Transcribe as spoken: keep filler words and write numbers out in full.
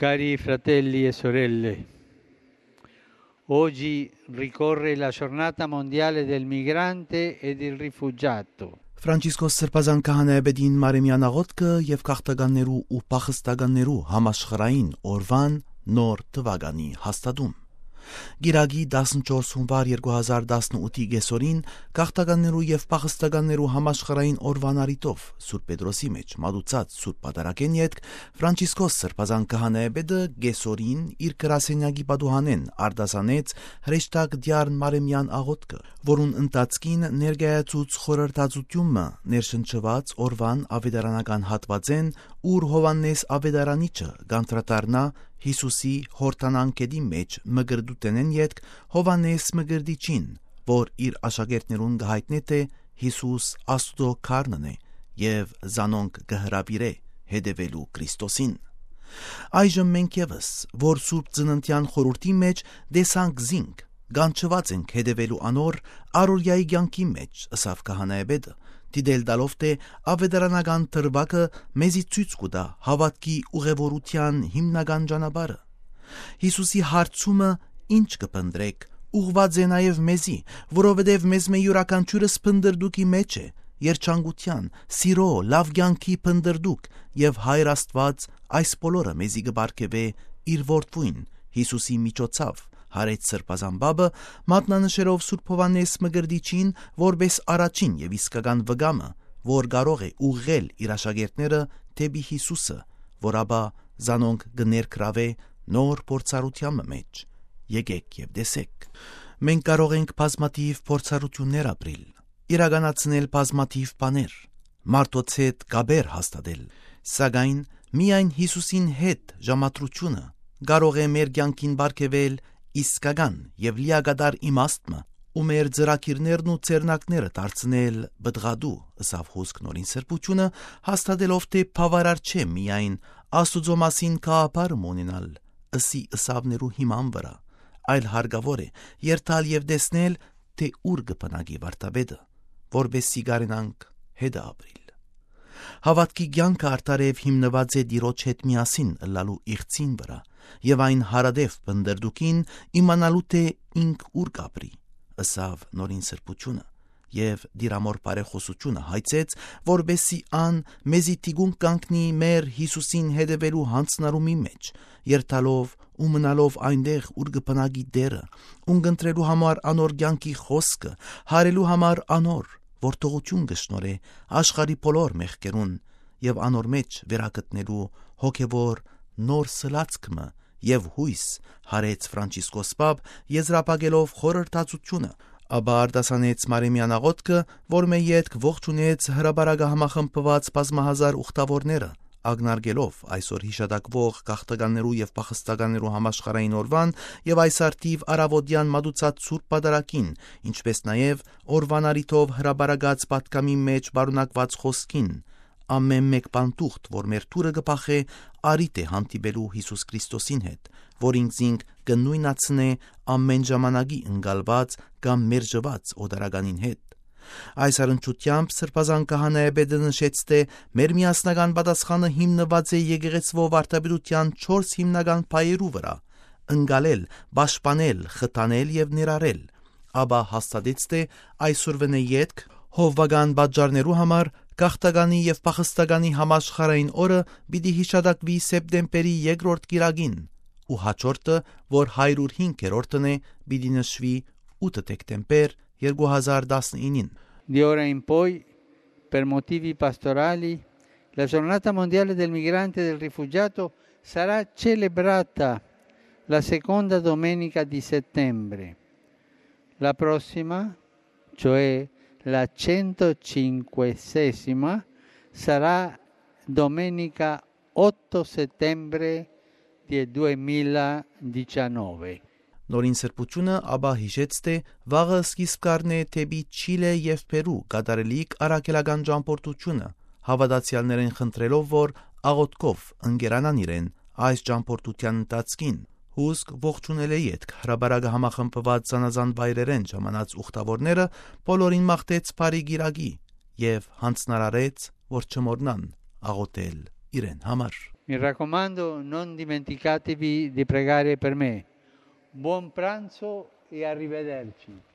Cari fratelli e sorelle, oggi ricorre la giornata mondiale del migrante e del rifugiato. Ֆրանցիսկոս Սրբազան քահանայապետին Մարեմյան աղոթքը եւ քաղաքտականներու ու փախստականներու համաշխարհային օրվան նոր թվականի հաստատում։ Գիրագի տասնչորս հունվար երկու հազար տասնութի գեսորին քաղաքտականներու եւ փախստականներու համաշխարհային օրվան արիտով Սուրբ Պետրոսի մեջ մատուցած Սուրբ Պատարագեն յետք Ֆրանցիսկոս Սրբազան քահանայապետը գեսորին իր գրասենյակի պատուհանեն արտասանեց հրեշտակ դյարն Մարեմյան աղոթքը, որուն ընթացքին ներկայացուց խորհրդածությունը ներշնչված օրվան ավետարանական հատվածեն, ուր Հովաննես ավետարանիչը գանտրատարնա Հիսուսի հորտանանքեդի մեջ մգրդուտենեն յետք Հովաննես մգրդիչին, որ իր աշակերտներուն գահիտնե թե Հիսուս Աստուծո քարնն է եւ զանոնք գհրավիրե հետևելու Քրիստոսին։ Այժմ մենք եւս, որ Սուրբ Ծննդյան խորհրդի մեջ դեսանք զինք, գանչված ենք հետևելու անոր առօրյայի կյանքի մեջ, ըսավ քահանայապետը, դիդել տալով թե ավետարանական դրվագը մեզի ցույց կտա հավատքի ուղևորության հիմնական ճանապարհը։ Հիսուսի հարցումը ինչ կփնտրեք ուղված է նաև մեզի, որովհետև մեզ մե յուրաքանչյուրս փնդրդուկի մեջ է, երջանկության, սիրո, լավ կյանքի փնդրդուկ, եւ Հայր Աստված այս բոլորը մեզի կբարգեւե իր որդվույն Հիսուսի միջոցով, հարեց Սրբազան բաբը, մատնանշելով Սուրբ Հովաննես մգրդիչին որպես առաջին եւ իսկական վգամը, որ կարող է ուղղել իր աշակերտները դեպի Հիսուսը, որ ապա զանոնք կներկրավե նոր փորձառության մեջ։ Եկեք եւ տեսեք։ Մենք կարող ենք բազմաթիվ փորձառություններ ապրել, իրականացնել բազմաթիվ բաներ, մարդոց հետ գաբեր հաստատել, սակայն միայն Հիսուսին հետ ժամատրությունը կարող է մեր կյանքին բարգեւել իսկական եւ լիագադար իմաստը ու մեր ծրագիրներն ու ցերնակները դարձնել բդղադու, ըսավ հոսք նորին սրբությունը, հաստատելով թե բավարար չէ միայն Աստուծո մասին կապարում ունենալ, ըսի ըսավներու հիման վրա, այլ հարգավոր է երթալ եւ տեսնել, թե ուր կբնակի վարտաբեդը, որբեսի գարենանք հետը ապրիլ։ Հավատքի կյանքը արդարև հիմնված է Տիրոջ հետ միասին ըլլալու իղծին վրա եւ այն հարադեպ բնդրդուկին իմանալու թե ինք ուր կապրի, ըսավ նորին սրբությունը եւ դիրամոր բարեխոսությունը հայցեց, որբեսի ան մեզի տիգուն կանգնի մեր Հիսուսին հետևելու հանցնարումի մեջ, երթալով ու մնալով այնտեղ ուր կբնակի դերը, ունգընտրելու համար անոր կյանքի խոսքը, հարելու համար անոր, որ թողություն կշնորհե աշխարհի բոլոր մեղքերուն եւ անոր մեջ վերագտնելու հոգեվոր նոր սլացքը եւ հույս հարեց Ֆրանցիսկոս Պապ եզրափակելով խորհրդածությունը, ապա արտասանեց Մարեմյան աղոթքը, որ մե յետք ողջունեց հրաբարակը համախմբված բազմահազար ուխտավորները, ագնարգելով այսօր հիշատակվող քաղաքտականներու եւ փախստականներու համաշխարհային օրվան եւ այս արդիվ արավոդյան մատուցած Սուրբ Պատարագին, ինչպես նաեւ օրվան արիթով հրաբարակած պատկամի մեջ բարունակված խոսքին, ամեն մեկ բանտուղթ, որ մեր թուրը կփախե, արիտ է հանդիպելու Հիսուս Քրիստոսին հետ, որ ինքզինք կնույնացնե ամեն ժամանակի ընկալված կամ մերժված օդարականին հետ։ Այս առընչությամբ Սրբազան քահանայապետը նշեց, թե մեր միասնական պատասխանը հիմնված է եկեղեցվո վարդապետության չորս հիմնական փայերու վրա՝ ընկալել, պաշտպանել, խթանել եւ ներառել, ապա հաստատեց, թե այսօրվա յետք հովվական պատճառներու համար քաղաքտականի եւ փախստականի համաշխարհային օրը պիտի հիշատակվի սեպտեմբերի երկրորդ կիրակին, ու հաջորդը, որ հարյուր հինգերորդն է, պիտի նշվի ութ դեկտեմբեր երկու հազար տասնինին։ Di ora in poi, per motivi pastorali, la giornata mondiale del migrante e del rifugiato sarà celebrata la seconda domenica di settembre. La prossima, cioè la centocinquesima, sarà domenica otto settembre del duemiladiciannove. Նորին սրբությունը ապա հիշեց, թե վաղը սկիզբ կառնե թեպի Չիլե եւ Պերու կատարելիք առաքելական ճամփորդությունը, հավատացյալներին խնդրելով, որ աղոթքով ընկերանան իրեն այս ճամփորդության ընթացքին, հուսք ողջունել է յետք հրաբարակը համախմբված զանազան վայրերեն ժամանած ուխտավորները բոլորին մաղթեց բարի գիրակի եւ հանձնարարեց, որ չմոռնան աղոթել իրեն համար։ Mi raccomando, non dimenticatevi di pregare per me. Buon pranzo e arrivederci.